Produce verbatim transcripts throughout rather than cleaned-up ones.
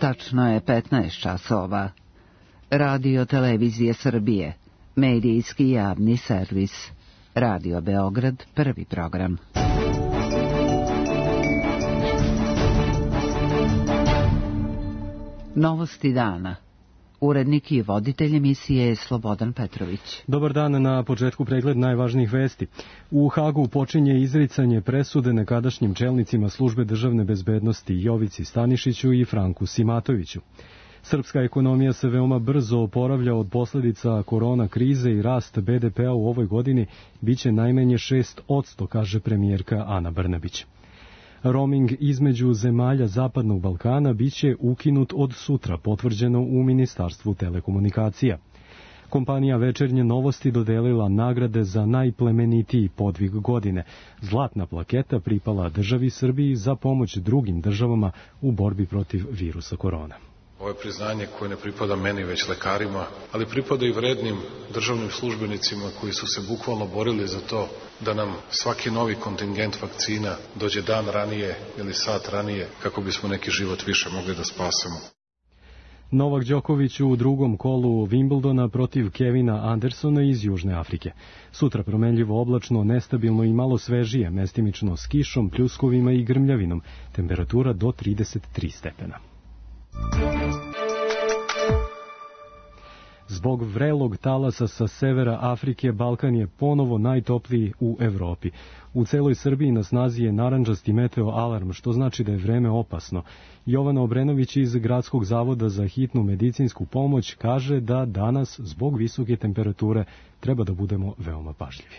Tačno je petnaest časova. Radio Televizije Srbije, medijski javni servis. Radio Beograd, prvi program. Novosti dana. Urednik i voditelj emisije je Slobodan Petrović. Dobar dan, na početku pregled najvažnijih vesti. U Hagu počinje izricanje presude nekadašnjim čelnicima službe državne bezbednosti Jovici Stanišiću i Franku Simatoviću. Srpska ekonomija se veoma brzo oporavlja od posledica korona krize i rast be de pea u ovoj godini biće najmanje šest posto, kaže premijerka Ana Brnabić. Roaming između zemalja Zapadnog Balkana biće ukinut od sutra, potvrđeno u Ministarstvu telekomunikacija. Kompanija Večernje novosti dodelila nagrade za najplemenitiji podvig godine. Zlatna plaketa pripala državi Srbiji za pomoć drugim državama u borbi protiv virusa korona. Ovo je priznanje koje ne pripada meni, već lekarima, ali pripada i vrednim državnim službenicima koji su se bukvalno borili za to da nam svaki novi kontingent vakcina dođe dan ranije ili sat ranije kako bismo neki život više mogli da spasemo. Novak Đoković u drugom kolu Wimbledona protiv Kevina Andersona iz Južne Afrike. Sutra promenljivo oblačno, nestabilno i malo svežije, mestimično s kišom, pljuskovima i grmljavinom. Temperatura do trideset tri stepena. Zbog vrelog talasa sa severa Afrike, Balkan je ponovo najtopliji u Evropi. U celoj Srbiji na snazi je narandžasti meteo alarm, što znači da je vreme opasno. Jovana Obrenović iz Gradskog zavoda za hitnu medicinsku pomoć kaže da danas, zbog visoke temperature, treba da budemo veoma pažljivi.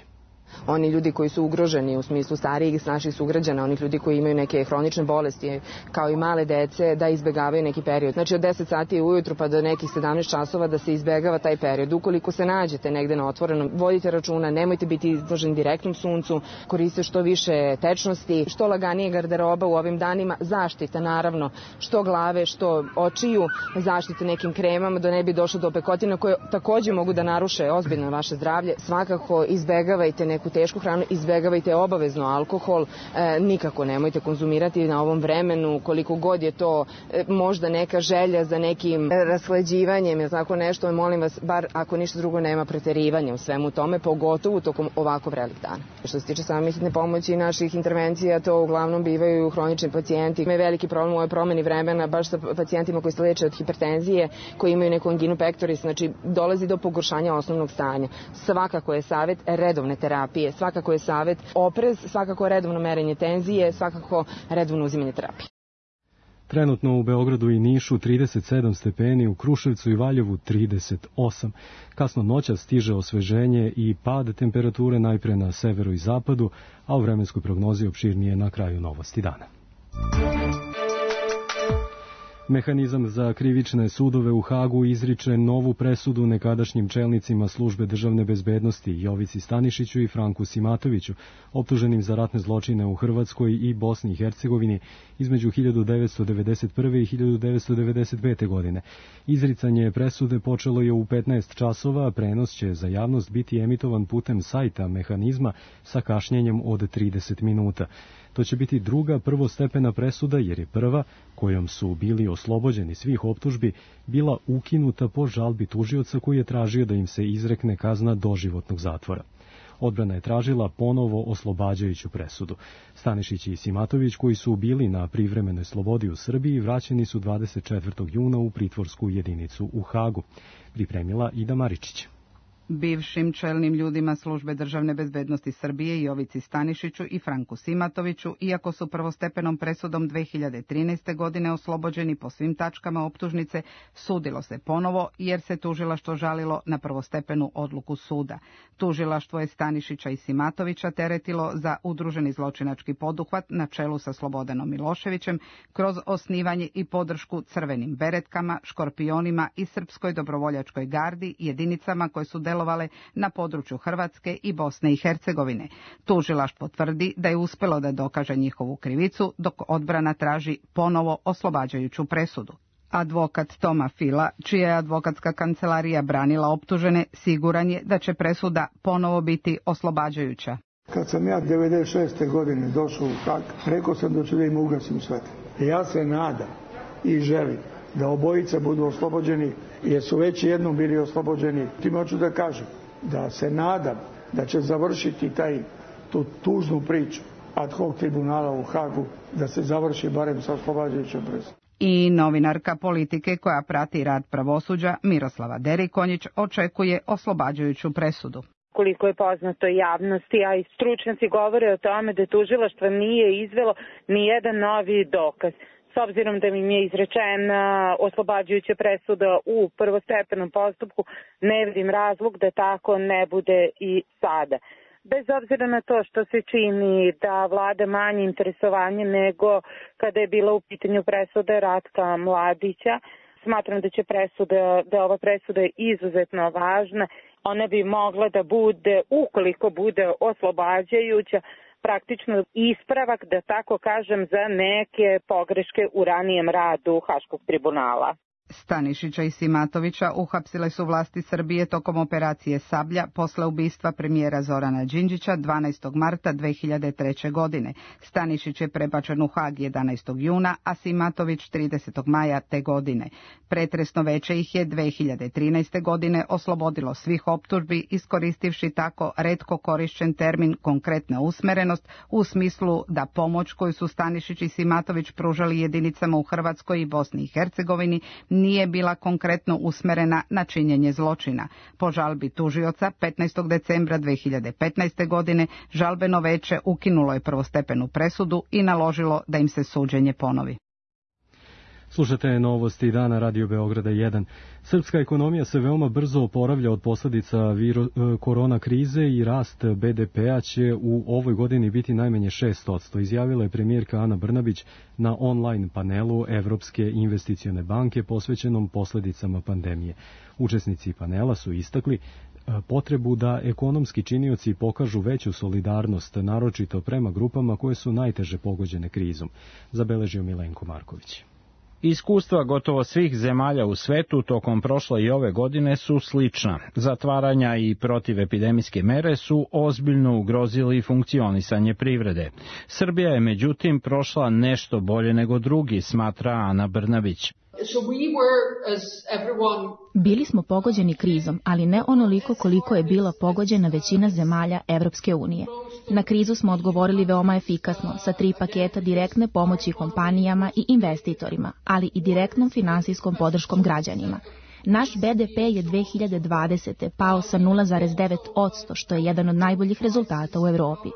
Oni ljudi koji su ugroženi u smislu starijih naših sugrađana, onih ljudi koji imaju neke hronične bolesti, kao i male dece, da izbegavaju neki period. Znači od deset sati ujutru pa do nekih sedamnaest časova da se izbegava taj period. Ukoliko se nađete negde na otvorenom, vodite računa, nemojte biti izloženi direktnom suncu, koristite što više tečnosti, što laganije garderoba u ovim danima, zaštita naravno, što glave, što očiju, zaštite nekim kremama da ne bi došlo do opekotina koje takođe mogu da naruše ozbiljno vaše zdravlje. Svakako izbegavajte neku tešku hranu, izbegavajte obavezno alkohol, e, nikako nemojte konzumirati na ovom vremenu, koliko god je to e, možda neka želja za nekim rashlađivanjem, je tako nešto, molim vas, bar ako ništa drugo nema preterivanja u svemu tome, pogotovo tokom ovako vrelih dana. Što se tiče same hitne pomoći i naših intervencija, to uglavnom bivaju hronični pacijenti. Ima veliki problem u ovoj promeni vremena, baš sa pacijentima koji se leče od hipertenzije, koji imaju neku anginu pectoris, znači dolazi do pogoršanja osnovnog stanja. Svakako je savjet redovne terapije. Svakako je savjet oprez, svakako redovno merenje tenzije, svakako redovno uzimanje terapije. Trenutno u Beogradu i Nišu trideset sedam stepeni, u Kruševcu i Valjevu trideset osam. Kasno noća stiže osveženje i pad temperature najpre na severu i zapadu, a u vremenskoj prognozi opširnije na kraju novosti dana. Mehanizam za krivične sudove u Hagu izriče novu presudu nekadašnjim čelnicima službe državne bezbednosti Jovici Stanišiću i Franku Simatoviću, optuženim za ratne zločine u Hrvatskoj i Bosni i Hercegovini između hiljadu devetsto devedeset prve i hiljadu devetsto devedeset pete. godine. Izricanje presude počelo je u petnaest časova, a prenos će za javnost biti emitovan putem sajta mehanizma sa kašnjenjem od trideset minuta. To će biti druga prvostepena presuda jer je prva, kojom su bili oslobođeni svih optužbi, bila ukinuta po žalbi tužioca koji je tražio da im se izrekne kazna doživotnog zatvora. Odbrana je tražila ponovo oslobađajuću presudu. Stanišić i Simatović, koji su bili na privremenoj slobodi u Srbiji, vraćeni su dvadeset četvrtog juna u pritvorsku jedinicu u Hagu. Pripremila Ida Maričić. Bivšim čelnim ljudima službe državne bezbednosti Srbije Jovici Stanišiću i Franku Simatoviću, iako su prvostepenom presudom dve hiljade trinaeste. godine oslobođeni po svim tačkama optužnice, sudilo se ponovo jer se tužilaštvo žalilo na prvostepenu odluku suda. Tužilaštvo je Stanišića i Simatovića teretilo za udruženi zločinački poduhvat na čelu sa Slobodanom Miloševićem kroz osnivanje i podršku crvenim beretkama, škorpionima i Srpskoj dobrovoljačkoj gardi, jedinicama koje su delovale na području Hrvatske i Bosne i Hercegovine. Tužilaštvo tvrdi da je uspelo da dokaže njihovu krivicu, dok odbrana traži ponovo oslobađajuću presudu. Advokat Toma Fila, čija je advokatska kancelarija branila optužene, siguran je da će presuda ponovo biti oslobađajuća. Kad sam ja devedeset šeste. godine došao u Hag, rekao sam da ću da im ugasim sve. Ja se nadam i želim da obojica budu oslobođeni, jer su već jednom bili oslobođeni. Tim hoću da kažem da se nadam da će završiti taj, tu tužnu priču ad hoc tribunala u Hagu, da se završi barem sa oslobađajućom presudom. I novinarka politike koja prati rad pravosuđa Miroslava Derikonjić očekuje oslobađajuću presudu. Koliko je poznato javnosti, a i stručnjaci govore o tome da tužilaštvo nije izvelo ni jedan novi dokaz. S obzirom da im je izrečena oslobađajuća presuda u prvostepenom postupku, ne vidim razlog da tako ne bude i sada. Bez obzira na to što se čini da vlada manje interesovanje nego kada je bila u pitanju presuda Ratka Mladića, smatram da će presuda, da ova presuda je izuzetno važna. Ona bi mogla da bude, ukoliko bude oslobađajuća, praktično ispravak, da tako kažem, za neke pogreške u ranijem radu Haškog tribunala. Stanišića i Simatovića uhapsile su vlasti Srbije tokom operacije Sablja posle ubistva premijera Zorana Đinđića dvanaestog marta dve hiljade treće. godine. Stanišić je prebačen u Hag jedanaestog juna, a Simatović tridesetog maja te godine. Pretresno veće ih je dve hiljade trinaeste. godine oslobodilo svih optužbi, iskoristivši tako retko korišćen termin konkretna usmerenost u smislu da pomoć koju su Stanišić i Simatović pružali jedinicama u Hrvatskoj i Bosni i Hercegovini nije bila konkretno usmerena na činjenje zločina. Po žalbi tužioca petnaestog decembra dve hiljade petnaeste. godine žalbeno veće ukinulo je prvostepenu presudu i naložilo da im se suđenje ponovi. Slušate novosti dana Radio Beograda jedan. Srpska ekonomija se veoma brzo oporavlja od posljedica viro, korona krize i rast be de pea će u ovoj godini biti najmanje šest posto, izjavila je premijerka Ana Brnabić na online panelu Evropske investicione banke posvećenom posljedicama pandemije. Učesnici panela su istakli potrebu da ekonomski činioci pokažu veću solidarnost, naročito prema grupama koje su najteže pogođene krizom, zabeležio Milenko Marković. Iskustva gotovo svih zemalja u svetu tokom prošle i ove godine su slična. Zatvaranja i protivepidemijske mere su ozbiljno ugrozili funkcionisanje privrede. Srbija je međutim prošla nešto bolje nego drugi, smatra Ana Brnabić. Bili smo pogođeni krizom, ali ne onoliko koliko je bila pogođena većina zemalja Evropske unije. Na krizu smo odgovorili veoma efikasno, sa tri paketa direktne pomoći kompanijama i investitorima, ali i direktnom finansijskom podrškom građanima. Naš be de pe je dve hiljade dvadesete. pao sa nula zarez devet posto, što je jedan od najboljih rezultata u Evropi.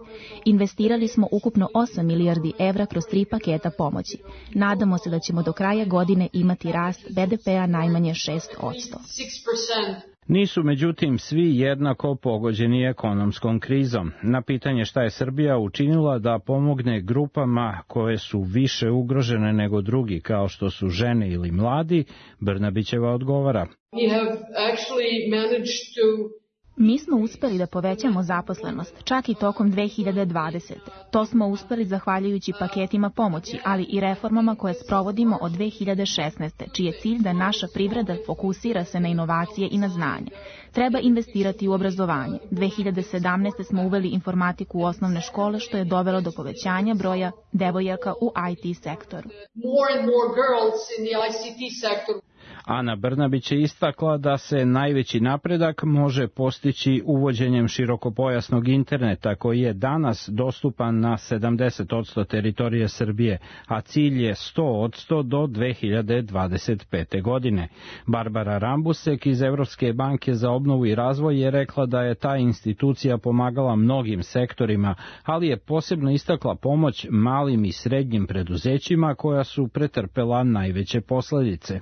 Investirali smo ukupno osam milijardi evra kroz tri paketa pomoći. Nadamo se da ćemo do kraja godine imati rast be de pea najmanje šest posto. Nisu međutim svi jednako pogođeni ekonomskom krizom. Na pitanje šta je Srbija učinila da pomogne grupama koje su više ugrožene nego drugi, kao što su žene ili mladi, Brnabićeva odgovara. Mi smo uspeli da povećamo zaposlenost, čak i tokom dve hiljade dvadesete. To smo uspeli zahvaljujući paketima pomoći, ali i reformama koje sprovodimo od dve hiljade šesnaeste. čiji je cilj da naša privreda fokusira se na inovacije i na znanje. Treba investirati u obrazovanje. dve hiljade sedamnaeste. smo uveli informatiku u osnovne škole, što je dovelo do povećanja broja devojaka u i te sektoru. Ana Brnabić je istakla da se najveći napredak može postići uvođenjem širokopojasnog interneta koji je danas dostupan na sedamdeset posto teritorije Srbije, a cilj je sto posto do dve hiljade dvadeset pete. godine. Barbara Rambusek iz Evropske banke za obnovu i razvoj je rekla da je ta institucija pomagala mnogim sektorima, ali je posebno istakla pomoć malim i srednjim preduzećima koja su pretrpela najveće posljedice.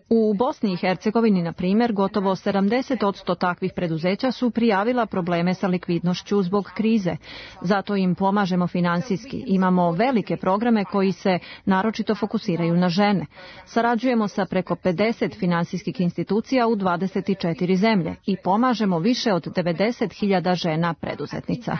U Bosni i Hercegovini, na primjer, gotovo sedamdeset posto takvih preduzeća su prijavila probleme sa likvidnošću zbog krize. Zato im pomažemo finansijski. Imamo velike programe koji se naročito fokusiraju na žene. Sarađujemo sa preko pedeset finansijskih institucija u dvadeset četiri zemlje i pomažemo više od devedeset hiljada žena preduzetnica.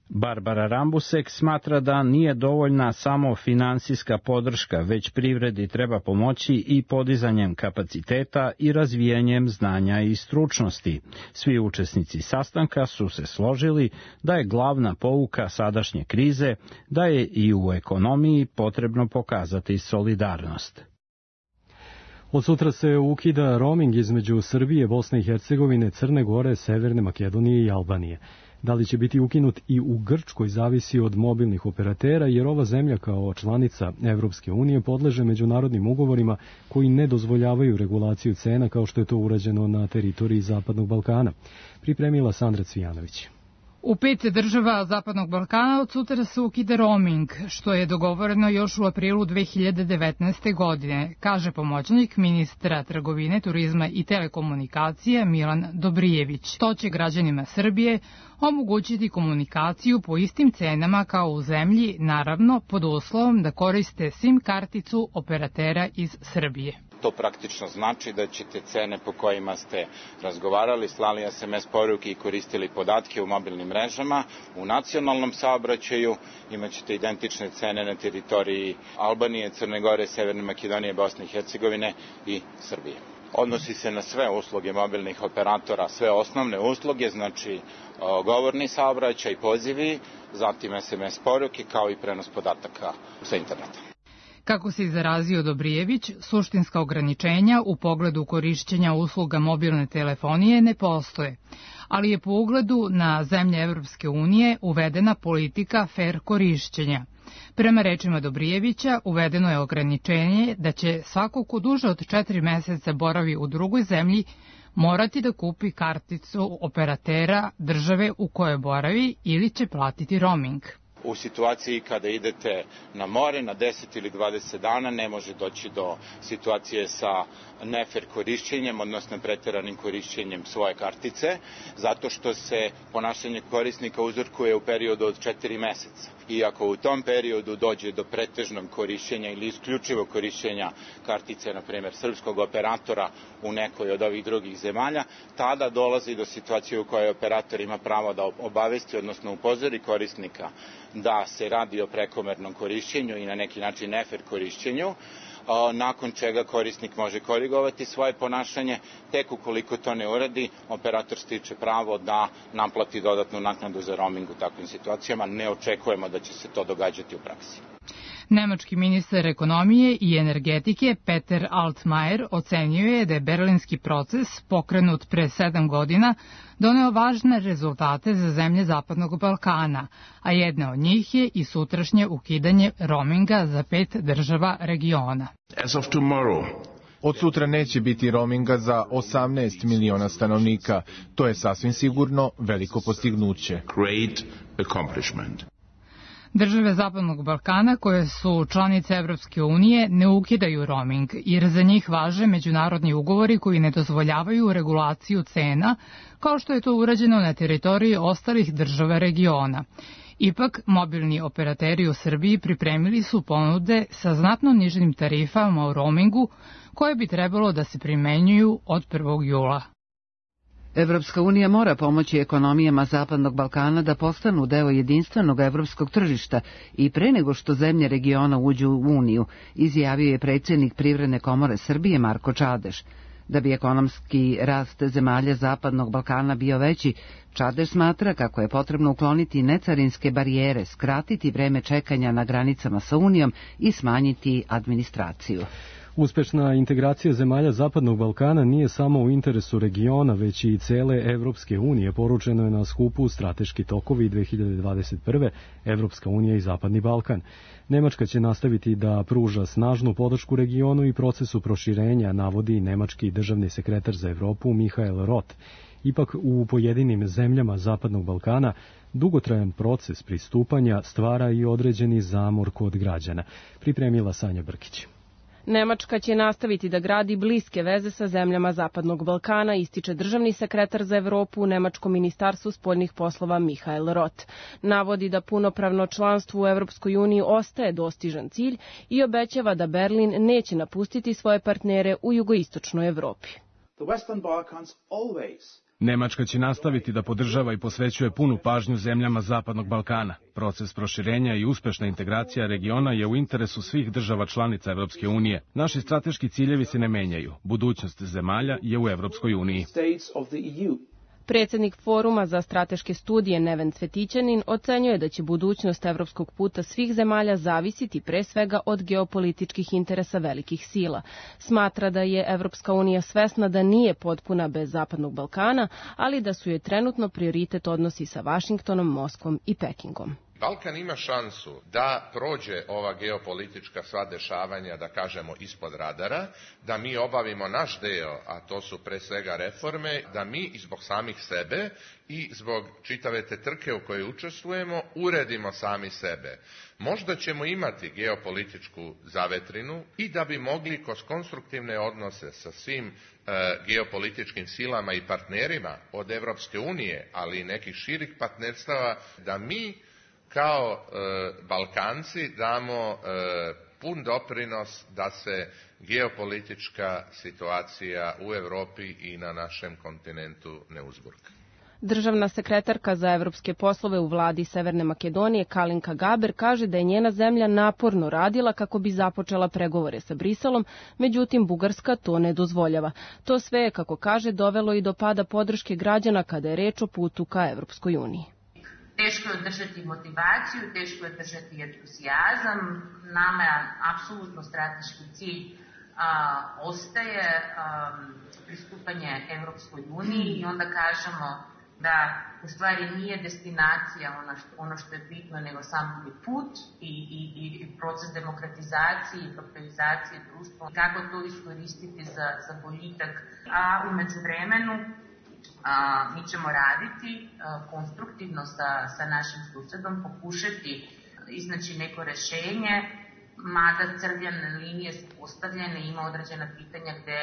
Barbara Rambusek smatra da nije dovoljna samo finansijska podrška, već privredi treba pomoći i podizanjem kapaciteta i razvijanjem znanja i stručnosti. Svi učesnici sastanka su se složili da je glavna pouka sadašnje krize da je i u ekonomiji potrebno pokazati solidarnost. Od sutra se ukida roaming između Srbije, Bosne i Hercegovine, Crne Gore, Severne Makedonije i Albanije. Da li će biti ukinut i u Grčkoj zavisi od mobilnih operatera, jer ova zemlja kao članica Evropske unije podleže međunarodnim ugovorima koji ne dozvoljavaju regulaciju cena kao što je to urađeno na teritoriji Zapadnog Balkana. Pripremila Sandra Cvijanović. U pet država Zapadnog Balkana od sutra se ukida roaming, što je dogovoreno još u aprilu dve hiljade devetnaeste. godine, kaže pomoćnik ministra trgovine, turizma i telekomunikacije Milan Dobrijević. To će građanima Srbije omogućiti komunikaciju po istim cenama kao u zemlji, naravno pod uslovom da koriste SIM karticu operatera iz Srbije. To praktično znači da ćete cene po kojima ste razgovarali, slali es em es poruke i koristili podatke u mobilnim mrežama, u nacionalnom saobraćaju imaćete identične cene na teritoriji Albanije, Crne Gore, Severne Makedonije, Bosne i Hercegovine i Srbije. Odnosi se na sve usluge mobilnih operatora, sve osnovne usluge, znači govorni saobraćaj, pozivi, zatim es em es poruke kao i prenos podataka sa interneta. Kako se izrazio Dobrijević, suštinska ograničenja u pogledu korišćenja usluga mobilne telefonije ne postoje, ali je po ugledu na zemlje Evropske unije uvedena politika fer korišćenja. Prema rečima Dobrijevića, uvedeno je ograničenje da će svako ko duže od četiri meseca boravi u drugoj zemlji morati da kupi karticu operatera države u kojoj boravi ili će platiti roaming. U situaciji kada idete na more na deset ili dvadeset dana ne može doći do situacije sa nefer korišćenjem, odnosno preteranim korišćenjem svoje kartice, zato što se ponašanje korisnika uzorkuje u periodu od četiri meseca. I ako u tom periodu dođe do pretežnog korišćenja ili isključivog korišćenja kartice, na primjer srpskog operatora u nekoj od ovih drugih zemalja, tada dolazi do situacije u kojoj operator ima pravo da obavesti, odnosno upozori korisnika da se radi o prekomernom korišćenju i na neki način nefer korišćenju, nakon čega korisnik može korigovati svoje ponašanje, tek ukoliko to ne uradi, operator stiče pravo da naplati dodatnu naknadu za roaming u takvim situacijama. Ne očekujemo da će se to događati u praksi. Nemački ministar ekonomije i energetike Peter Altmaier ocenio je da je berlinski proces, pokrenut pre sedam godina, doneo važne rezultate za zemlje Zapadnog Balkana, a jedna od njih je i sutrašnje ukidanje roaminga za pet država regiona. As of tomorrow, od sutra neće biti roaminga za osamnaest miliona stanovnika. To je sasvim sigurno veliko postignuće. Great accomplishment. Države Zapadnog Balkana koje su članice Evropske unije ne ukidaju roaming, jer za njih važe međunarodni ugovori koji ne dozvoljavaju regulaciju cena, kao što je to urađeno na teritoriji ostalih država regiona. Ipak, mobilni operateri u Srbiji pripremili su ponude sa znatno nižim tarifama u roamingu, koje bi trebalo da se primenjuju od prvog jula. Evropska unija mora pomoći ekonomijama Zapadnog Balkana da postanu deo jedinstvenog evropskog tržišta i pre nego što zemlje regiona uđu u Uniju, izjavio je predsjednik Privredne komore Srbije Marko Čadeš. Da bi ekonomski rast zemalja Zapadnog Balkana bio veći, Čadeš smatra kako je potrebno ukloniti necarinske barijere, skratiti vreme čekanja na granicama sa Unijom i smanjiti administraciju. Uspešna integracija zemalja Zapadnog Balkana nije samo u interesu regiona, već i cele Evropske unije, poručeno je na skupu Strateški tokovi dve hiljade dvadeset prve. Evropska unija i Zapadni Balkan. Nemačka će nastaviti da pruža snažnu podršku regionu i procesu proširenja, navodi nemački državni sekretar za Evropu Michael Roth. Ipak u pojedinim zemljama Zapadnog Balkana dugotrajan proces pristupanja stvara i određeni zamor kod građana. Pripremila Sanja Brkić. Nemačka će nastaviti da gradi bliske veze sa zemljama Zapadnog Balkana, ističe državni sekretar za Evropu u Nemačkom ministarstvu spoljnih poslova Michael Roth. Navodi da punopravno članstvo u Evropskoj uniji ostaje dostižan cilj i obećava da Berlin neće napustiti svoje partnere u jugoistočnoj Evropi. Nemačka će nastaviti da podržava i posvećuje punu pažnju zemljama Zapadnog Balkana. Proces proširenja i uspešna integracija regiona je u interesu svih država članica Evropske unije. Naši strateški ciljevi se ne menjaju. Budućnost zemalja je u Evropskoj uniji. Predsjednik Foruma za strateške studije Neven Cvetićanin ocenjuje da će budućnost evropskog puta svih zemalja zavisiti pre svega od geopolitičkih interesa velikih sila. Smatra da je Evropska unija svesna da nije potpuna bez Zapadnog Balkana, ali da su je trenutno prioritet odnosi sa Vašingtonom, Moskvom i Pekingom. Balkan ima šansu da prođe ova geopolitička sva dešavanja, da kažemo, ispod radara, da mi obavimo naš deo, a to su pre svega reforme, da mi i zbog samih sebe i zbog čitave te trke u kojoj učestvujemo uredimo sami sebe. Možda ćemo imati geopolitičku zavetrinu i da bi mogli kroz konstruktivne odnose sa svim e, geopolitičkim silama i partnerima od Evropske unije, ali i nekih širih partnerstava, da mi kao e, Balkanci damo e, pun doprinos da se geopolitička situacija u Evropi i na našem kontinentu ne uzburka. Državna sekretarka za evropske poslove u vladi Severne Makedonije Kalinka Gaber kaže da je njena zemlja naporno radila kako bi započela pregovore sa Briselom, međutim Bugarska to ne dozvoljava. To sve je, kako kaže, dovelo i do pada podrške građana kada je reč o putu ka Evropskoj uniji. Teško je održati motivaciju, teško je održati entuzijazam. Nama je apsolutno strateški cilj a, ostaje a, pristupanje Evropskoj uniji i onda kažemo da u stvari nije destinacija ono što, ono što je bitno, nego sam put i, i, i proces demokratizacije i europeizacije društva. Kako to iskoristiti za, za boljitak, a u međuvremenu A, mi ćemo raditi a, konstruktivno sa, sa našim susedom, pokušati iznaći neko rešenje, mada crvene linije su postavljene, ima određena pitanja gde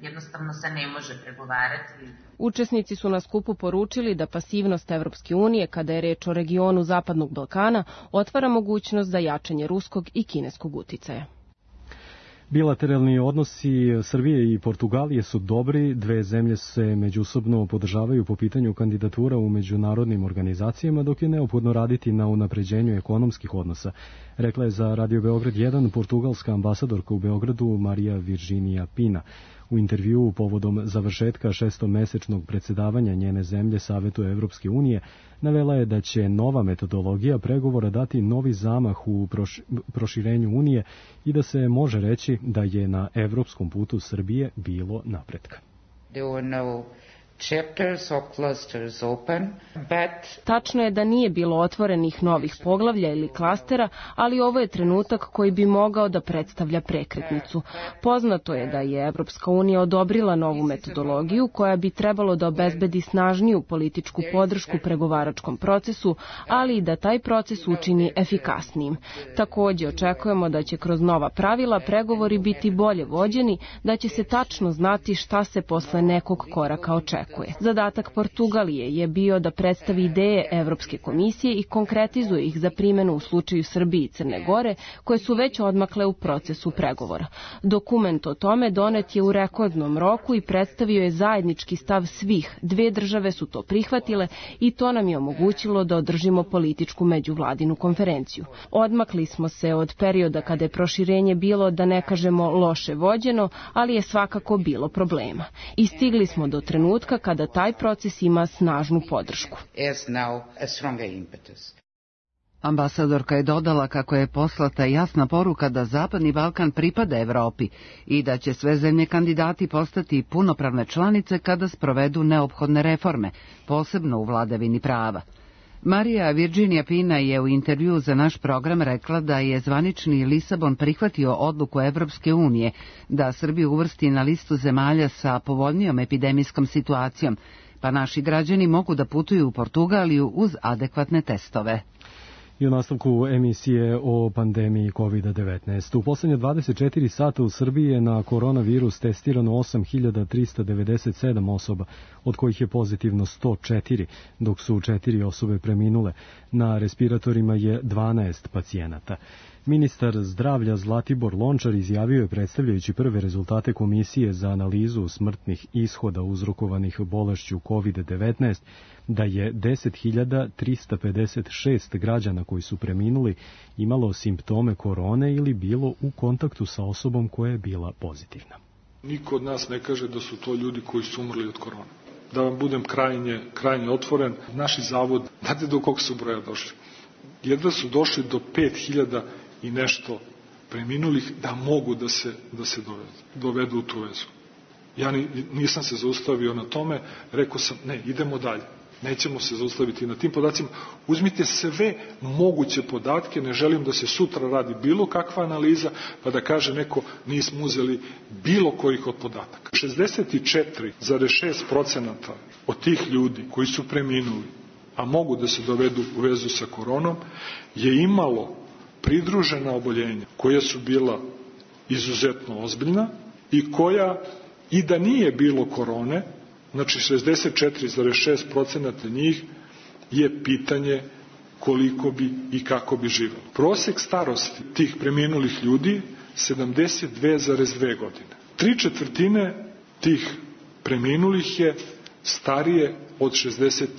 jednostavno se ne može pregovarati. Učesnici su na skupu poručili da pasivnost Evropske unije, kada je reč o regionu Zapadnog Balkana, otvara mogućnost za jačanje ruskog i kineskog uticaja. Bilateralni odnosi Srbije i Portugalije su dobri, dve zemlje se međusobno podržavaju po pitanju kandidatura u međunarodnim organizacijama, dok je neophodno raditi na unapređenju ekonomskih odnosa, rekla je za Radio Beograd jedan portugalska ambasadorka u Beogradu Marija Virginija Pina. U intervjuu povodom završetka šestomesečnog predsedavanja njene zemlje Savetu Evropske unije navela je da će nova metodologija pregovora dati novi zamah u proširenju Unije i da se može reći da je na evropskom putu Srbije bilo napretka. Chapters or clusters open, but... Tačno je da nije bilo otvorenih novih poglavlja ili klastera, ali ovo je trenutak koji bi mogao da predstavlja prekretnicu. Poznato je da je Evropska unija odobrila novu metodologiju koja bi trebalo da obezbedi snažniju političku podršku pregovaračkom procesu, ali i da taj proces učini efikasnijim. Takođe očekujemo da će kroz nova pravila pregovori biti bolje vođeni, da će se tačno znati šta se posle nekog koraka očekuje. Zadatak Portugalije je bio da predstavi ideje Evropske komisije i konkretizuje ih za primjenu u slučaju Srbije i Crne Gore, koje su već odmakle u procesu pregovora. Dokument o tome donet je u rekordnom roku i predstavio je zajednički stav svih. Dve države su to prihvatile i to nam je omogućilo da održimo političku međuvladinu konferenciju. Odmakli smo se od perioda kada je proširenje bilo, da ne kažemo, loše vođeno, ali je svakako bilo problema. I stigli smo do trenutka kada taj proces ima snažnu podršku. Ambasadorka je dodala kako je poslata jasna poruka da Zapadni Balkan pripada Evropi i da će sve zemlje kandidati postati punopravne članice kada sprovedu neophodne reforme, posebno u vladavini prava. Marija Virginija Pina je u intervju za naš program rekla da je zvanični Lisabon prihvatio odluku Evropske unije da Srbiju uvrsti na listu zemalja sa povoljnijom epidemijskom situacijom, pa naši građani mogu da putuju u Portugaliju uz adekvatne testove. I u nastavku emisije o pandemiji kovid devetnaest. U poslednje dvadeset četiri sata u Srbiji je na koronavirus testirano osam hiljada trista devedeset sedam osoba, od kojih je pozitivno sto četiri, dok su četiri osobe preminule. Na respiratorima je dvanaest pacijenata. Ministar zdravlja Zlatibor Lončar izjavio je, predstavljajući prve rezultate Komisije za analizu smrtnih ishoda uzrokovanih bolešću kovid devetnaest, da je deset hiljada trista pedeset šest građana koji su preminuli imalo simptome korone ili bilo u kontaktu sa osobom koja je bila pozitivna. Niko od nas ne kaže da su to ljudi koji su umrli od korone. Da vam budem krajnje, krajnje otvoren, naši zavod, znate do kog su broja došli? Jedva su došli do pet hiljada i nešto preminulih da mogu da se, da se dovedu, dovedu u tu vezu. Ja ni, nisam se zaustavio na tome, rekao sam ne, idemo dalje. Nećemo se zaustaviti na tim podacima. Uzmite sve moguće podatke, ne želim da se sutra radi bilo kakva analiza, pa da kaže neko nismo uzeli bilo kojih od podataka. šezdeset četiri zarez šest procenata od tih ljudi koji su preminuli, a mogu da se dovedu u vezu sa koronom, je imalo pridružena oboljenja koja su bila izuzetno ozbiljna i koja, i da nije bilo korone, znači šezdeset četiri zarez šest procenata njih je pitanje koliko bi i kako bi živelo. Prosek starosti tih preminulih ljudi sedamdeset dve zarez dve godine. Tri četvrtine tih preminulih je starije od šezdeset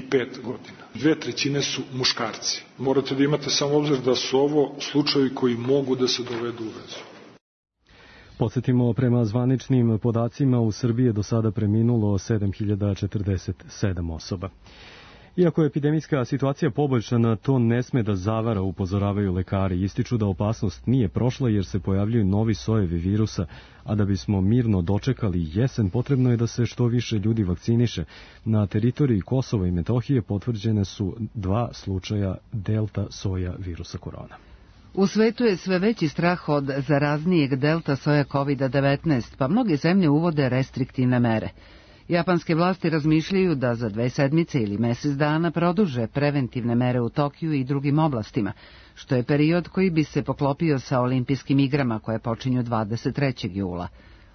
pet godina. Dve trećine su muškarci. Morate da imate samo obzir da su ovo slučajevi koji mogu da se dovedu u vezu. Podsjetimo, prema zvaničnim podacima u Srbiji je do sada preminulo sedam hiljada četrdeset sedam osoba. Iako je epidemijska situacija poboljšana, to ne sme da zavara, upozoravaju lekari. Ističu da opasnost nije prošla jer se pojavljuju novi sojevi virusa, a da bismo mirno dočekali jesen, potrebno je da se što više ljudi vakciniše. Na teritoriji Kosova i Metohije potvrđene su dva slučaja delta soja virusa korona. U svetu je sve veći strah od zaraznijeg delta soja kovid devetnaest, pa mnoge zemlje uvode restriktivne mere. Japanske vlasti razmišljaju da za dve sedmice ili mesec dana produže preventivne mere u Tokiju i drugim oblastima, što je period koji bi se poklopio sa olimpijskim igrama koje počinju dvadeset trećeg jula.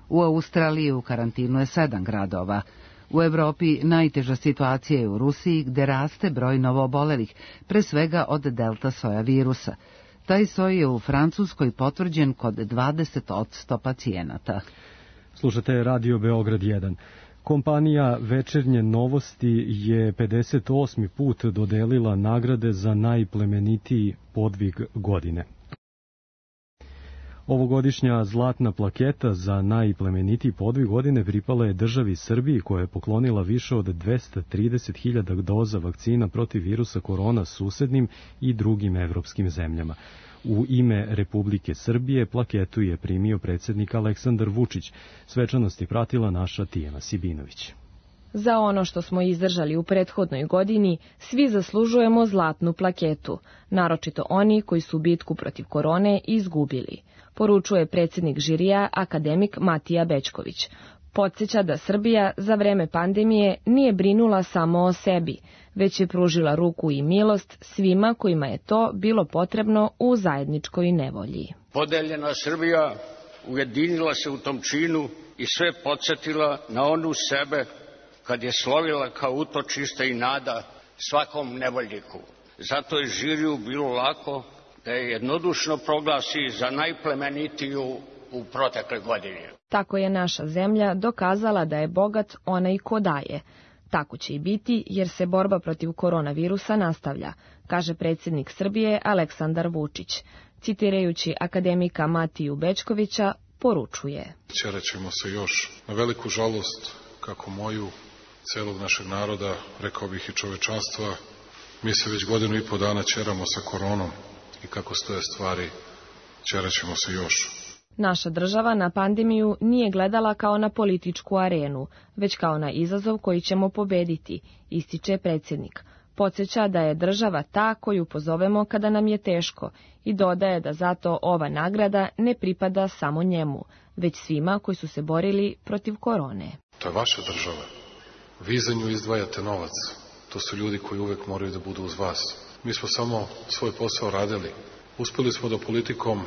U Australiji u karantinu je sedam gradova. U Evropi najteža situacija je u Rusiji, gde raste broj novoobolelih, pre svega od delta soja virusa. Taj soj je u Francuskoj potvrđen kod dvadeset posto pacijenata. Slušate Radio Beograd jedan. Kompanija Večernje novosti je pedeset osmi put dodelila nagrade za najplemenitiji podvig godine. Ovogodišnja zlatna plaketa za najplemenitiji podvig godine pripala je državi Srbiji, koja je poklonila više od dvesta trideset hiljada doza vakcina protiv virusa korona susednim i drugim evropskim zemljama. U ime Republike Srbije plaketu je primio predsjednik Aleksandar Vučić. Svečanost je pratila naša Tijana Sibinović. Za ono što smo izdržali u prethodnoj godini, svi zaslužujemo zlatnu plaketu, naročito oni koji su bitku protiv korone izgubili, poručuje predsjednik žirija akademik Matija Bećković. Podsjeća da Srbija za vreme pandemije nije brinula samo o sebi, već je pružila ruku i milost svima kojima je to bilo potrebno u zajedničkoj nevolji. Podeljena Srbija ujedinila se u tom činu i sve podsjetila na onu sebe kad je slovila kao utočište i nada svakom nevoljniku. Zato je žiriju bilo lako da je jednodušno proglasi za najplemenitiju u protekle godine. Tako je naša zemlja dokazala da je bogat onaj ko daje. Tako će i biti jer se borba protiv koronavirusa nastavlja, kaže predsjednik Srbije Aleksandar Vučić. Citirajući akademika Matiju Bećkovića, poručuje: Ćeraćemo se još, na veliku žalost, kako moju, celog našeg naroda, rekao bih i čovečanstva, mi se već godinu i po dana ćeramo sa koronom i kako stoje stvari, ćeraćemo se još. Naša država na pandemiju nije gledala kao na političku arenu, već kao na izazov koji ćemo pobediti, ističe predsjednik. Podsjeća da je država ta koju pozovemo kada nam je teško i dodaje da zato ova nagrada ne pripada samo njemu, već svima koji su se borili protiv korone. To je vaša država. Vi za nju izdvajate novac. To su ljudi koji uvek moraju da budu uz vas. Mi smo samo svoj posao radili. Uspeli smo da politikom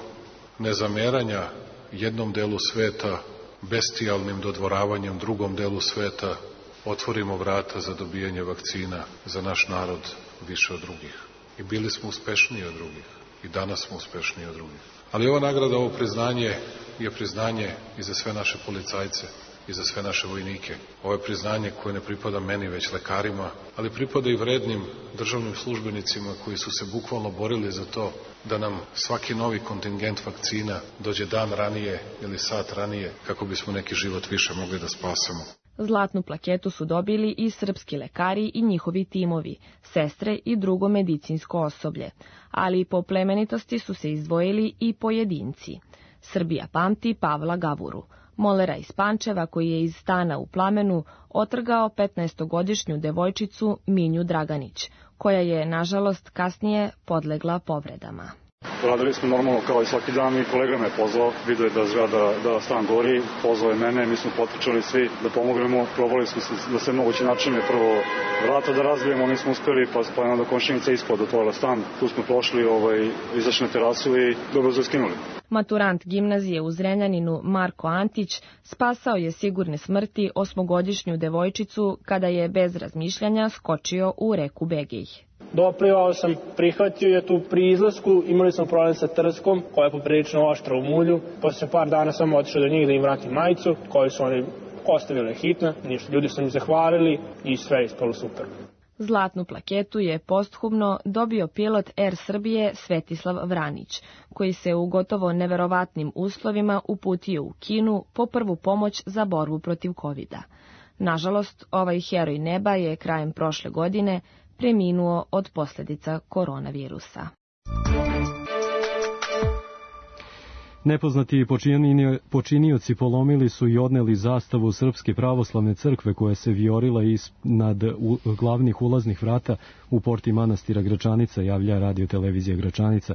nezameranja jednom delu sveta, bestijalnim dodvoravanjem drugom delu sveta, otvorimo vrata za dobijanje vakcina za naš narod više od drugih. I bili smo uspešniji od drugih. I danas smo uspešniji od drugih. Ali ova nagrada, ovo priznanje je priznanje i za sve naše policajce i za sve naše vojnike. Ovo je priznanje koje ne pripada meni, već lekarima, ali pripada i vrednim državnim službenicima koji su se bukvalno borili za to da nam svaki novi kontingent vakcina dođe dan ranije ili sat ranije kako bismo neki život više mogli da spasemo. Zlatnu plaketu su dobili i srpski lekari i njihovi timovi, sestre i drugo medicinsko osoblje, ali i po plemenitosti su se izdvojili i pojedinci. Srbija pamti Pavla Gavuru, molera iz Pančeva koji je iz stana u Plamenu otrgao petnaestogodišnju devojčicu Minju Draganić, koja je, nažalost, kasnije podlegla povredama. Radili smo normalno kao i svaki dan i kolega me pozvao, vidio je da zgrada, da stan gori, pozvao je mene, mi smo potrčali svi da pomognemo, probali smo se da se moguće načine prvo vrata da razbijemo, nismo uspeli, pa, pa je onda komšinica ispod otvorila stan, tu smo prošli, ovaj, izašli na terasu i dobro zaskinuli. Maturant gimnazije u Zrenjaninu Marko Antić spasao je sigurne smrti osmogodišnju devojčicu kada je bez razmišljanja skočio u reku Begej. Doplivao sam, prihvatio je tu pri izlasku, imali smo problem sa trskom koja je poprilično oštra u mulju. Posle par dana sam otišao do njih da im vratim majicu koju su oni ostavili hitno, ništa, ljudi su mi zahvalili i sve je ispalo super. Zlatnu plaketu je posthumno dobio pilot Er Srbije Svetislav Vranić, koji se u gotovo neverovatnim uslovima uputio u Kinu po prvu pomoć za borbu protiv kovida. Nažalost, ovaj heroj neba je krajem prošle godine preminuo od posljedica koronavirusa. Nepoznati počinioci polomili su i odneli zastavu Srpske pravoslavne crkve koja se vijorila iznad glavnih ulaznih vrata u porti manastira Gračanica, javlja radio televizija Gračanica.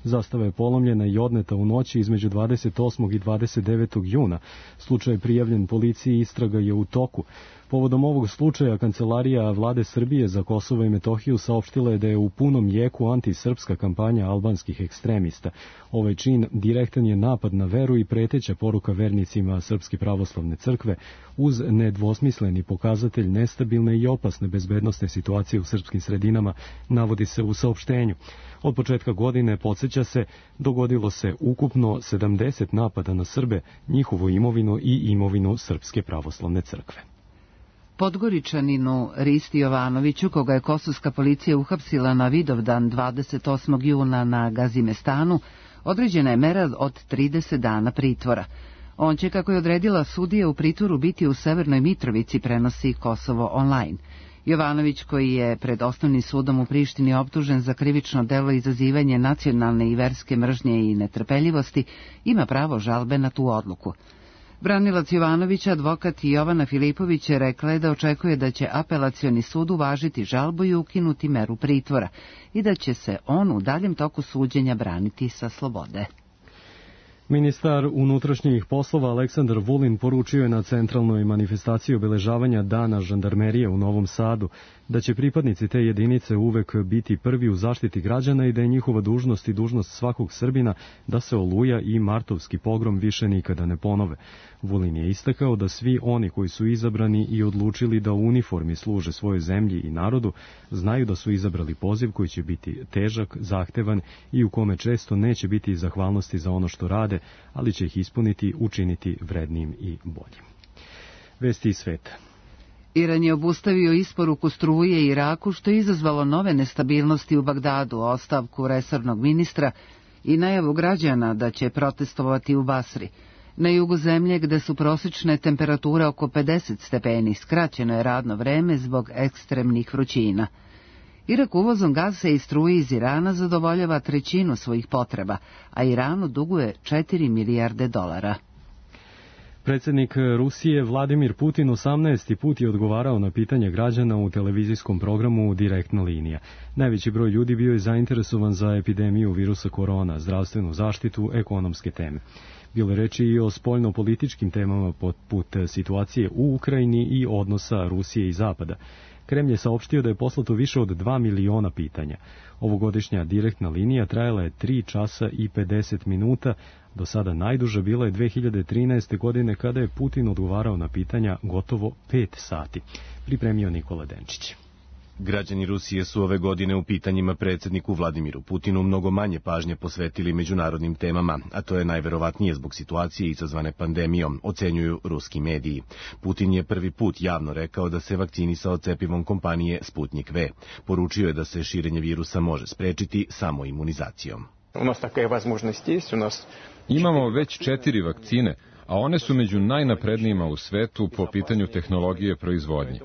Zastava je polomljena i odneta u noći između dvadeset osmog i dvadeset devetog juna. Slučaj je prijavljen policiji i istraga je u toku. Povodom ovog slučaja Kancelarija Vlade Srbije za Kosovo i Metohiju saopštila je da je u punom jeku antisrpska kampanja albanskih ekstremista. Ovaj čin direktan je napad na veru i preteća poruka vernicima Srpske pravoslavne crkve uz nedvosmisleni pokazatelj nestabilne i opasne bezbednosne situacije u srpskim sredinama, navodi se u saopštenju. Od početka godine, podsjeća se, dogodilo se ukupno sedamdeset napada na Srbe, njihovu imovinu i imovinu Srpske pravoslavne crkve. Podgoričaninu Risti Jovanoviću, koga je kosovska policija uhapsila na Vidovdan dvadeset osmog juna na Gazimestanu, određena je mera od trideset dana pritvora. On će, kako je odredila sudija, u pritvoru biti u Severnoj Mitrovici, prenosi Kosovo online. Jovanović, koji je pred osnovnim sudom u Prištini optužen za krivično delo izazivanje nacionalne i verske mržnje i netrpeljivosti, ima pravo žalbe na tu odluku. Branilac Jovanovića, advokat Jovana Filipović, rekla je da očekuje da će apelacioni sud uvažiti žalbu i ukinuti meru pritvora i da će se on u daljem toku suđenja braniti sa slobode. Ministar unutrašnjih poslova Aleksandar Vulin poručio je na centralnoj manifestaciji obeležavanja Dana žandarmerije u Novom Sadu da će pripadnici te jedinice uvek biti prvi u zaštiti građana i da je njihova dužnost i dužnost svakog Srbina da se Oluja i martovski pogrom više nikada ne ponove. Vulin je istakao da svi oni koji su izabrani i odlučili da u uniformi služe svojoj zemlji i narodu, znaju da su izabrali poziv koji će biti težak, zahtevan i u kome često neće biti zahvalnosti za ono što rade, ali će ih ispuniti, učiniti vrednim i boljim. Vesti iz sveta. Iran je obustavio isporuku struje Iraku, što je izazvalo nove nestabilnosti u Bagdadu, ostavku resornog ministra i najavu građana da će protestovati u Basri. Na jugu zemlje, gde su prosječne temperature oko pedeset stepeni, skraćeno je radno vreme zbog ekstremnih vrućina. Irak uvozom gasa i struje iz Irana zadovoljava trećinu svojih potreba, a Iranu duguje četiri milijarde dolara. Predsjednik Rusije Vladimir Putin osamnaesti put je odgovarao na pitanje građana u televizijskom programu Direktna linija. Najveći broj ljudi bio je zainteresovan za epidemiju virusa korona, zdravstvenu zaštitu, ekonomske teme. Bilo je reči i o spoljno-političkim temama poput situacije u Ukrajini i odnosa Rusije i Zapada. Kremlj je saopštio da je poslato više od dva miliona pitanja. Ovogodišnja direktna linija trajala je tri časa i pedeset minuta, do sada najduža bila je dve hiljade trinaeste. godine kada je Putin odgovarao na pitanja gotovo pet sati. Pripremio Nikola Denčić. Građani Rusije su ove godine u pitanjima predsjedniku Vladimiru Putinu mnogo manje pažnje posvetili međunarodnim temama, a to je najverovatnije zbog situacije izazvane pandemijom, ocenjuju ruski mediji. Putin je prvi put javno rekao da se vakcinisao cepivom kompanije Sputnik V. Poručio je da se širenje virusa može sprečiti samo imunizacijom. Imamo već četiri vakcine, a one su među najnaprednijima u svetu po pitanju tehnologije proizvodnje.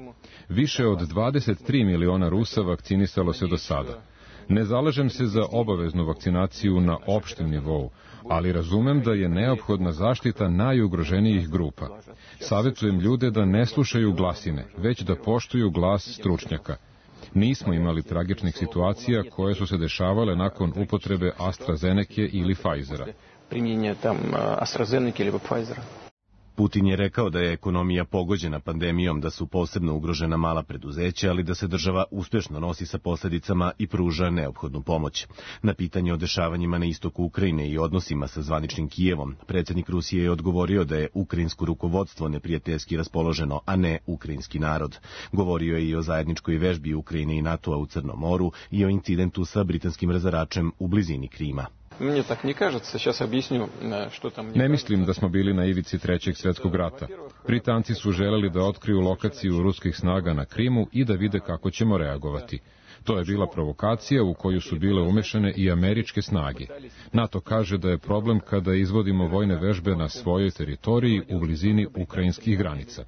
Više od dvadeset tri miliona Rusa vakcinisalo se do sada. Ne zalažem se za obaveznu vakcinaciju na opštem nivou, ali razumem da je neophodna zaštita najugroženijih grupa. Savjetujem ljude da ne slušaju glasine, već da poštuju glas stručnjaka. Nismo imali tragičnih situacija koje su se dešavale nakon upotrebe AstraZeneke ili Pfizera. Putin je rekao da je ekonomija pogođena pandemijom, da su posebno ugrožena mala preduzeća, ali da se država uspješno nosi sa posljedicama i pruža neophodnu pomoć. Na pitanje o dešavanjima na istoku Ukrajine i odnosima sa zvaničnim Kijevom, predsjednik Rusije je odgovorio da je ukrajinsko rukovodstvo neprijateljski raspoloženo, a ne ukrajinski narod. Govorio je i o zajedničkoj vežbi Ukrajine i NATO-a u Crnom moru i o incidentu sa britanskim razaračem u blizini Krima. Ne mislim da smo bili na ivici trećeg svjetskog rata. Britanci su želeli da otkriju lokaciju ruskih snaga na Krimu i da vide kako ćemo reagovati. To je bila provokacija u koju su bile umešane i američke snage. NATO kaže da je problem kada izvodimo vojne vežbe na svojoj teritoriji u blizini ukrajinskih granica.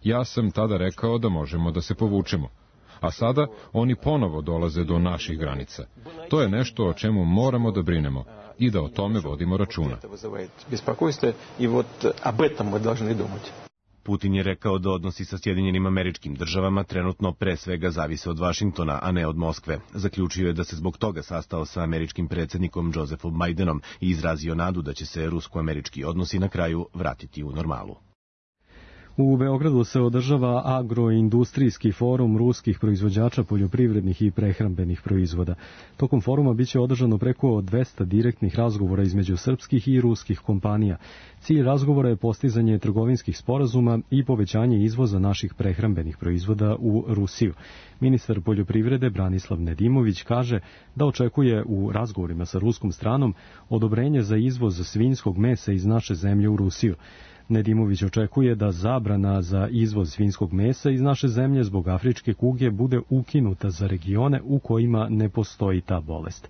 Ja sam tada rekao da možemo da se povučemo. A sada oni ponovo dolaze do naših granica. To je nešto o čemu moramo da brinemo i da o tome vodimo računa. Putin je rekao da odnosi sa Sjedinjenim Američkim Državama trenutno pre svega zavise od Vašingtona, a ne od Moskve. Zaključio je da se zbog toga sastao sa američkim predsjednikom Josephom Bidenom i izrazio nadu da će se rusko-američki odnosi na kraju vratiti u normalu. U Beogradu se održava agroindustrijski forum ruskih proizvođača poljoprivrednih i prehrambenih proizvoda. Tokom foruma biće održano preko dvesta direktnih razgovora između srpskih i ruskih kompanija. Cilj razgovora je postizanje trgovinskih sporazuma i povećanje izvoza naših prehrambenih proizvoda u Rusiju. Ministar poljoprivrede Branislav Nedimović kaže da očekuje u razgovorima sa ruskom stranom odobrenje za izvoz svinjskog mesa iz naše zemlje u Rusiju. Nedimović očekuje da zabrana za izvoz svinjskog mesa iz naše zemlje zbog afričke kuge bude ukinuta za regione u kojima ne postoji ta bolest.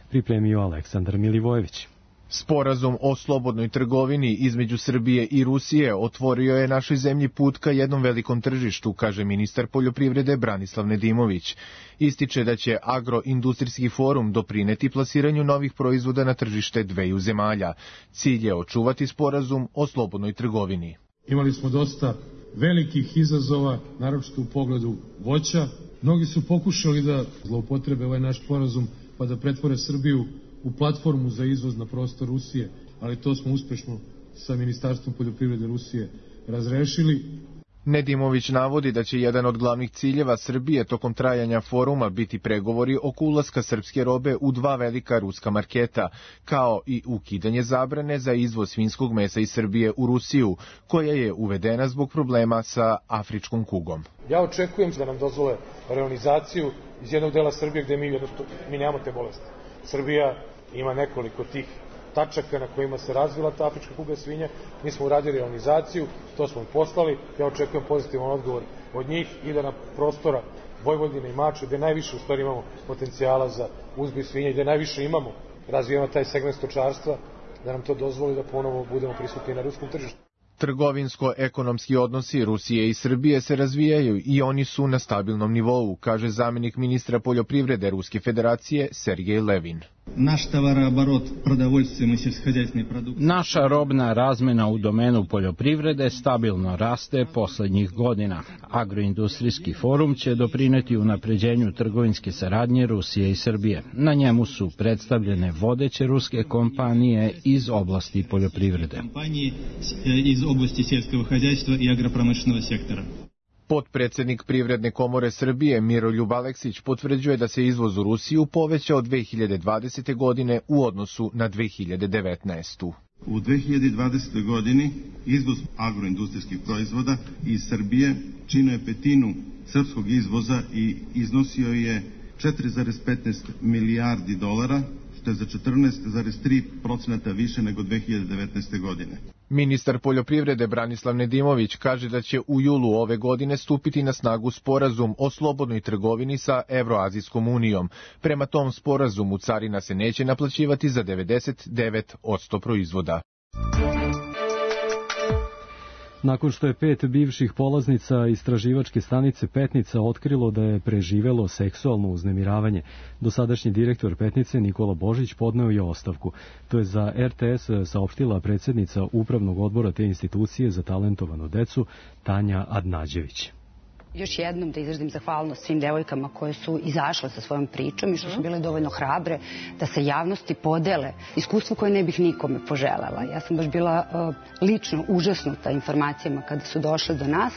Pripremio Aleksandar Milivojević. Sporazum o slobodnoj trgovini između Srbije i Rusije otvorio je našoj zemlji put ka jednom velikom tržištu, kaže ministar poljoprivrede Branislav Nedimović. Ističe da će agroindustrijski forum doprineti plasiranju novih proizvoda na tržište dveju zemalja. Cilj je očuvati sporazum o slobodnoj trgovini. Imali smo dosta velikih izazova, naročito u pogledu voća. Mnogi su pokušali da zloupotrebe ovaj naš sporazum pa da pretvore Srbiju u platformu za izvoz na prostor Rusije, ali to smo uspešno sa Ministarstvom poljoprivrede Rusije razrešili. Nedimović navodi da će jedan od glavnih ciljeva Srbije tokom trajanja foruma biti pregovori oko ulaska srpske robe u dva velika ruska marketa, kao i ukidanje zabrane za izvoz svinjskog mesa iz Srbije u Rusiju, koja je uvedena zbog problema sa afričkom kugom. Ja očekujem da nam dozvole reonizaciju iz jednog dela Srbije gde mi, mi nemamo te bolesti. Srbija ima nekoliko tih tačaka na kojima se razvila ta afrička kuga svinja. Mi smo uradili reonizaciju, to smo poslali. Ja očekujem pozitivan odgovor od njih i da na prostora Vojvodine i Mačve, gde najviše u stvari imamo potencijala za uzgoj svinja i gde najviše imamo razvijeno taj segment stočarstva, da nam to dozvoli da ponovo budemo prisutni na ruskom tržištu. Trgovinsko-ekonomski odnosi Rusije i Srbije se razvijaju i oni su na stabilnom nivou, kaže zamjenik ministra poljoprivrede Ruske federacije Sergej Levin. Naša robna razmena u domenu poljoprivrede stabilno raste poslednjih godina. Agroindustrijski forum će doprineti unapređenju trgovinske saradnje Rusije i Srbije. Na njemu su predstavljene vodeće ruske kompanije iz oblasti poljoprivrede. Potpredsednik Privredne komore Srbije Miroljub Aleksić potvrđuje da se izvoz u Rusiju povećao dve hiljade dvadesete. godine u odnosu na dve hiljade devetnaestu. U dve hiljade dvadesetoj. godini izvoz agroindustrijskih proizvoda iz Srbije činio je petinu srpskog izvoza i iznosio je četiri zarez petnaest milijardi dolara, što je za četrnaest zarez tri posto više nego dve hiljade devetnaeste. godine. Ministar poljoprivrede Branislav Nedimović kaže da će u julu ove godine stupiti na snagu sporazum o slobodnoj trgovini sa Evroazijskom unijom. Prema tom sporazumu carina se neće naplaćivati za devedeset devet posto proizvoda. Nakon što je pet bivših polaznica istraživačke stanice Petnica otkrilo da je preživelo seksualno uznemiravanje, dosadašnji direktor Petnice Nikola Božić podneo je ostavku. To je za er te es saopštila predsjednica Upravnog odbora te institucije za talentovanu decu Tanja Adnađević. Još jednom da izrazim zahvalnost svim devojkama koje su izašle sa svojom pričom i što su bile dovoljno hrabre da se javnosti podele iskustvo koje ne bih nikome poželela. Ja sam baš bila uh, lično užasnuta informacijama kada su došle do nas.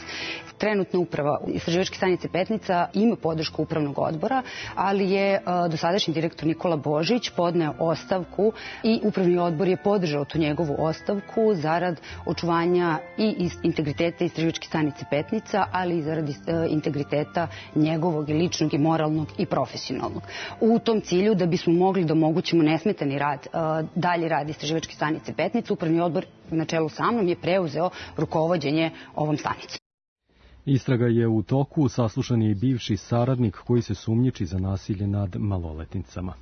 Trenutna uprava istraživačke stanice Petnica ima podršku upravnog odbora, ali je uh, dosadašnji direktor Nikola Božić podneo ostavku i upravni odbor je podržao tu njegovu ostavku zarad očuvanja i integriteta istraživačke stanice Petnica, ali i zarad integriteta njegovog i ličnog i moralnog i profesionalnog. U tom cilju, da bismo mogli da omogućimo nesmetani rad, dalji rad istraživačke stanice Petnica, upravni odbor na čelu sa mnom je preuzeo rukovođenje ovom stanicom. Istraga je u toku, saslušan je i bivši saradnik koji se sumnjiči za nasilje nad maloletnicama.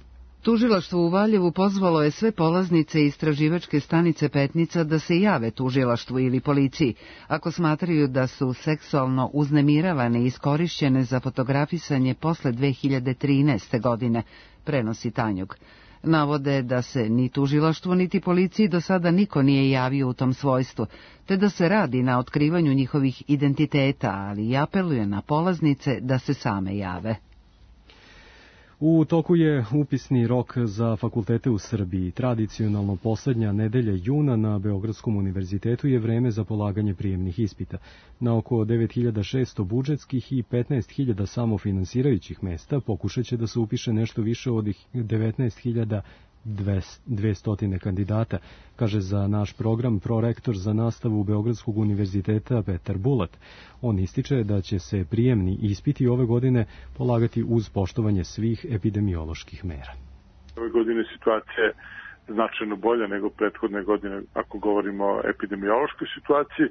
Tužilaštvo u Valjevu pozvalo je sve polaznice istraživačke stanice Petnica da se jave tužilaštvu ili policiji ako smatraju da su seksualno uznemiravane i iskorišćene za fotografisanje posle dve hiljade trinaeste. godine, prenosi Tanjug. Navode da se ni tužilaštvu niti policiji do sada niko nije javio u tom svojstvu, te da se radi na otkrivanju njihovih identiteta, ali i apeluje na polaznice da se same jave. U toku je upisni rok za fakultete u Srbiji. Tradicionalno poslednja nedelja juna na Beogradskom univerzitetu je vreme za polaganje prijemnih ispita. Na oko devet hiljada šesto budžetskih i petnaest hiljada samofinansirajućih mesta pokušat će da se upiše nešto više od devetnaest hiljada dvesta kandidata, kaže za naš program prorektor za nastavu Beogradskog univerziteta Petar Bulat. On ističe da će se prijemni ispiti ove godine polagati uz poštovanje svih epidemioloških mera. Ove godine situacija je značajno bolja nego prethodne godine ako govorimo o epidemiološkoj situaciji,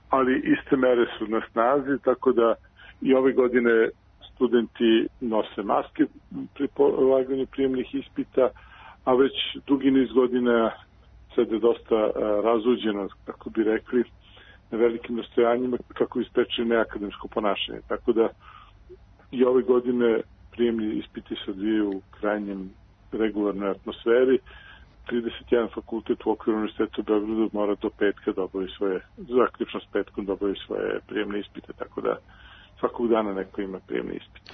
ali iste mere su na snazi, tako da i ove godine studenti nose maske pri polaganju prijemnih ispita, a već dugi niz godina sad je dosta razuđeno, kako bi rekli, na velikim nastojanjima kako ispreči neakademsko ponašanje. Tako da i ove godine prijemni ispiti se odvijaju u krajnjem regularnoj atmosferi. trideset jedan fakultet u okviru Univerziteta u Beogradu mora do petka da obavi svoje, zaključno s petkom da obavi svoje prijemne ispite, tako da svakog dana neko ima prijemni ispit.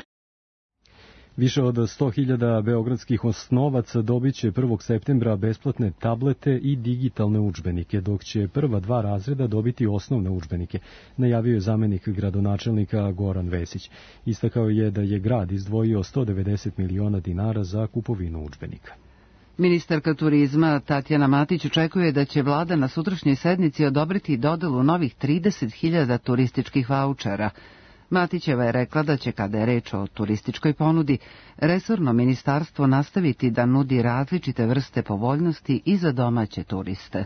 Više od sto hiljada beogradskih osnovaca dobit će prvog septembra besplatne tablete i digitalne udžbenike, dok će prva dva razreda dobiti osnovne udžbenike, najavio je zamenik gradonačelnika Goran Vesić. Istakao je da je grad izdvojio sto devedeset miliona dinara za kupovinu udžbenika. Ministarka turizma Tatjana Matić očekuje da će vlada na sutrašnjoj sednici odobriti dodelu novih trideset hiljada turističkih vaučera. Matićeva je rekla da će, kada je reč o turističkoj ponudi, resorno ministarstvo nastaviti da nudi različite vrste povoljnosti i za domaće turiste.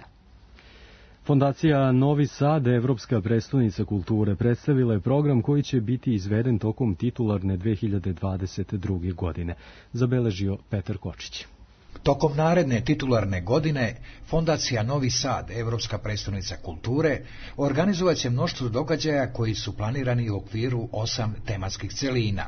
Fondacija Novi Sad, Evropska prestonica kulture, predstavila je program koji će biti izveden tokom titularne dve hiljade dvadeset druge. godine, zabeležio Petar Kočić. Tokom naredne titularne godine, Fondacija Novi Sad, Evropska prestonica kulture, organizovat će mnoštvo događaja koji su planirani u okviru osam tematskih celina.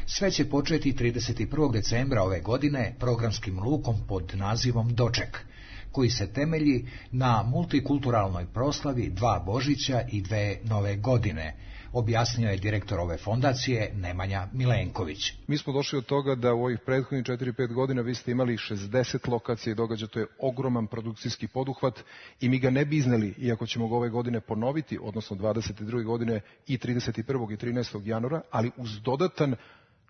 Sve će početi trideset prvog decembra ove godine programskim lukom pod nazivom Doček, koji se temelji na multikulturalnoj proslavi dva Božića i dve Nove godine, objasnio je direktor ove fondacije Nemanja Milenković. Mi smo došli od toga da u ovih prethodnih četiri pet godina vi ste imali šezdeset lokacija i događaja, to je ogroman produkcijski poduhvat i mi ga ne bi izneli, iako ćemo ga ove godine ponoviti, odnosno dvadeset druge godine i trideset prvog i trinaestog januara, ali uz dodatan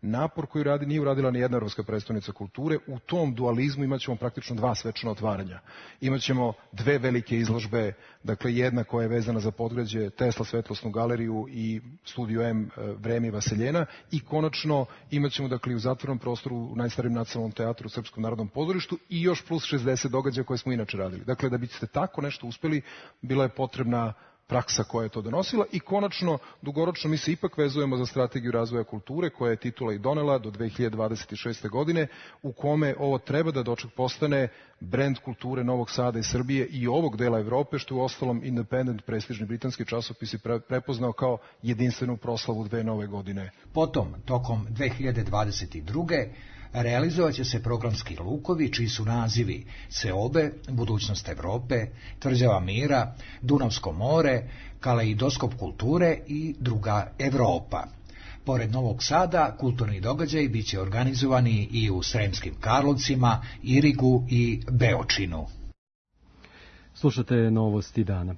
napor koji radi nije uradila ni jedna evropska predstavnica kulture. U tom dualizmu imaćemo praktično dva svečana otvaranja. Imaćemo dve velike izložbe, dakle jedna koja je vezana za Podgrađe, Tesla svetlosnu galeriju i Studio M Vreme i Vaseljena, i konačno imaćemo dakle u zatvorenom prostoru u najstarijem nacionalnom teatru u Srpskom narodnom pozorištu i još plus šezdeset događaja koje smo inače radili. Dakle, da biste tako nešto uspeli, bila je potrebna praksa koja je to donosila i konačno, dugoročno mi se ipak vezujemo za strategiju razvoja kulture koja je titula i donela do dve hiljade dvadeset šeste. godine, u kome ovo treba da doček postane brend kulture Novog Sada i Srbije i ovog dela Evrope, što je u ostalom Independent, prestižni britanski časopis, je prepoznao kao jedinstvenu proslavu dve nove godine. Potom, tokom dve hiljade dvadeset druge. realizovat će se programski lukovi čiji su nazivi Seobe, Budućnost Evrope, Tvrđava mira, Dunavsko more, Kaleidoskop kulture i Druga Evropa. Pored Novog Sada, kulturni događaji bit će organizovani i u Sremskim Karlovcima, Irigu i Beočinu. Slušate novosti dana.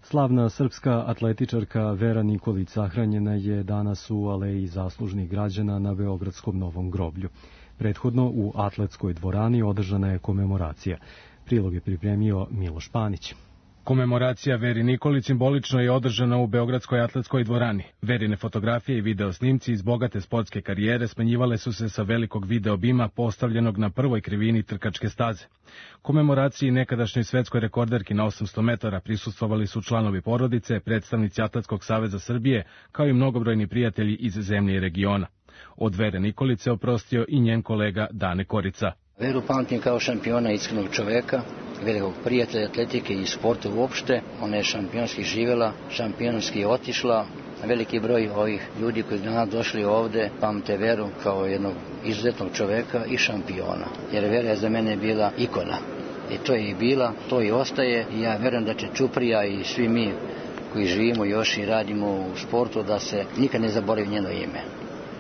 Slavna srpska atletičarka Vera Nikolić sahranjena je danas u Aleji zaslužnih građana na Beogradskom Novom groblju. Prethodno u atletskoj dvorani održana je komemoracija. Prilog je pripremio Miloš Panić. Komemoracija Veri Nikolić simbolično je održana u Beogradskoj atletskoj dvorani. Verine fotografije i video snimci iz bogate sportske karijere smenjivale su se sa velikog video bima postavljenog na prvoj krivini trkačke staze. Komemoraciji nekadašnjoj svetskoj rekorderki na osamsto metara prisustvovali su članovi porodice, predstavnici Atletskog saveza Srbije, kao i mnogobrojni prijatelji iz zemlje i regiona. Od Vere Nikolić se oprostio i njen kolega Dane Korica. Veru pamtim kao šampiona, iskrenog čoveka, velikog prijatelja atletike i sporta uopšte. Ona je šampionski živjela, šampionski je otišla. Veliki broj ovih ljudi koji su danas došli ovde pamte Veru kao jednog izuzetnog čoveka i šampiona. Jer Vera je za mene bila ikona. I to je i bila, to i ostaje. I ja verujem da će Ćuprija i svi mi koji živimo još i radimo u sportu da se nikad ne zaboravi njeno ime.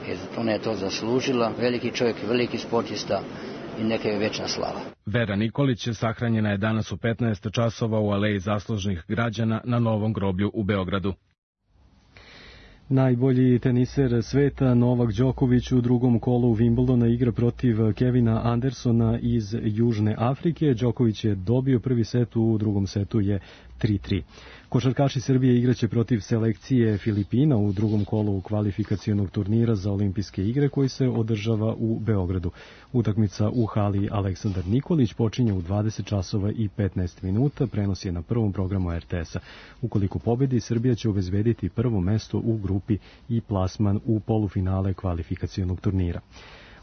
Jer ona je to zaslužila. Veliki čovjek, veliki sportista i neka je večna slava. Vera Nikolić sahranjena je danas u petnaest časova u Aleji zaslužnih građana na Novom groblju u Beogradu. Najbolji teniser sveta Novak Đoković u drugom kolu Wimbledona igra protiv Kevina Andersona iz Južne Afrike. Đoković je dobio prvi set, u drugom setu je tri tri. Košarkaši Srbije igraće protiv selekcije Filipina u drugom kolu kvalifikacionog turnira za olimpijske igre koji se održava u Beogradu. Utakmica u hali Aleksandar Nikolić počinje u dvadeset časova i petnaest minuta, prenos je na prvom programu er te esa. Ukoliko pobedi, Srbija će obezbediti prvo mesto u grupi i plasman u polufinale kvalifikacionog turnira.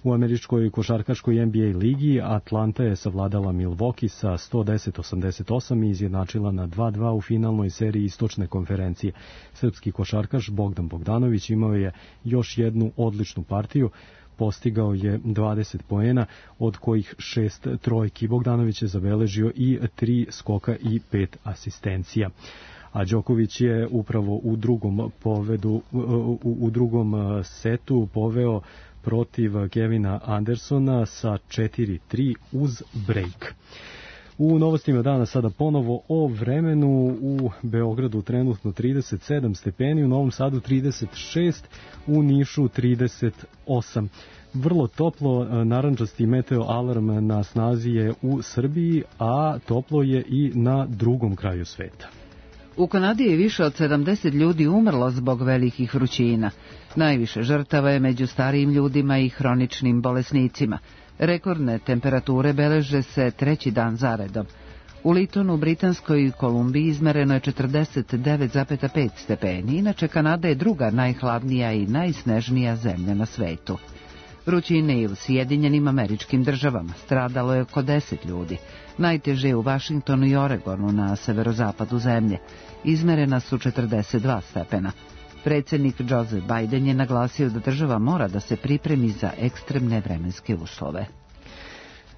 U američkoj košarkaškoj en be a ligi Atlanta je savladala Milwaukee sa sto deset osamdeset osam i izjednačila na dva dva u finalnoj seriji istočne konferencije. Srpski košarkaš Bogdan Bogdanović imao je još jednu odličnu partiju, postigao je dvadeset poena, od kojih šest trojki. Bogdanović je zabeležio i tri skoka i pet asistencija. A Đoković je upravo u drugom povedu, u, u drugom setu poveo protiv Kevina Andersona sa četiri tri uz break. U novostima dana sada ponovo o vremenu. U Beogradu trenutno trideset sedam stepeni, u Novom Sadu trideset šest, u Nišu trideset osam. Vrlo toplo, narandžasti meteo alarm na snazi je u Srbiji, a toplo je i na drugom kraju sveta. U Kanadi je više od sedamdeset ljudi umrlo zbog velikih vrućina. Najviše žrtava je među starijim ljudima i hroničnim bolesnicima. Rekordne temperature beleže se treći dan zaredom. U Litonu, Britanskoj Kolumbiji izmereno je četrdeset devet zarez pet stepeni, inače Kanada je druga najhladnija i najsnežnija zemlja na svetu. Vrućine i u Sjedinjenim Američkim Državama, stradalo je oko deset ljudi. Najteže je u Vašingtonu i Oregonu na severozapadu zemlje. Izmerena su četrdeset dva stepena. Predsjednik Joseph Biden je naglasio da država mora da se pripremi za ekstremne vremenske uslove.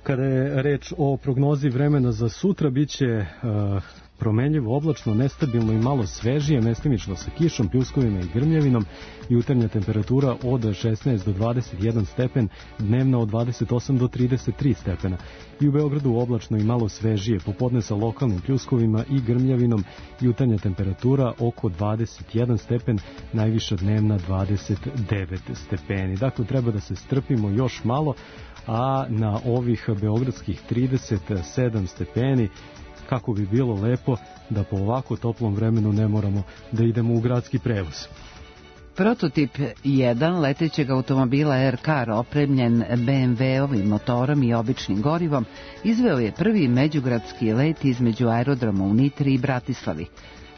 Kada je reč o prognozi vremena za sutra, bit će uh, promenljivo, oblačno, nestabilno i malo svežije, mestimično sa kišom, pljuskovima i grmljavinom. Jutarnja temperatura od šesnaest do dvadeset jedan stepen, dnevna od dvadeset osam do trideset tri stepena. I u Beogradu oblačno i malo svežije, popodne sa lokalnim pljuskovima i grmljavinom. Jutarnja temperatura oko dvadeset jedan stepen, najviša dnevna dvadeset devet stepeni. Dakle, treba da se strpimo još malo, a na ovih beogradskih trideset sedam stepeni, kako bi bilo lepo da po ovako toplom vremenu ne moramo da idemo u gradski prevoz. Prototip jedan letećeg automobila Aircar opremljen be em ve-ovim motorom i običnim gorivom izveo je prvi međugradski let između aerodroma u Nitri i Bratislavi.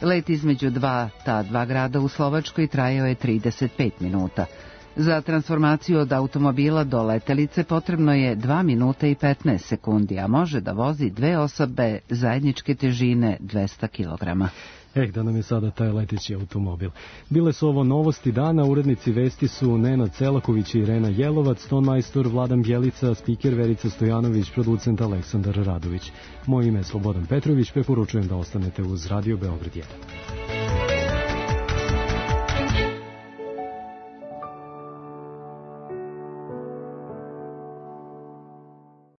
Let između dva ta dva grada u Slovačkoj trajao je trideset pet minuta. Za transformaciju od automobila do letelice potrebno je dva minuta i petnaest sekundi, a može da vozi dve osobe zajedničke težine dvesta kilograma. Eh, da nam je sada taj leteći automobil. Bile su ovo novosti dana, urednici vesti su Nenad Celaković i Irena Jelovac, tonmajstor Vladan Bjelica, spiker Verica Stojanović, producent Aleksandar Radović. Moje ime je Slobodan Petrović, preporučujem da ostanete uz Radio Beograd jedan.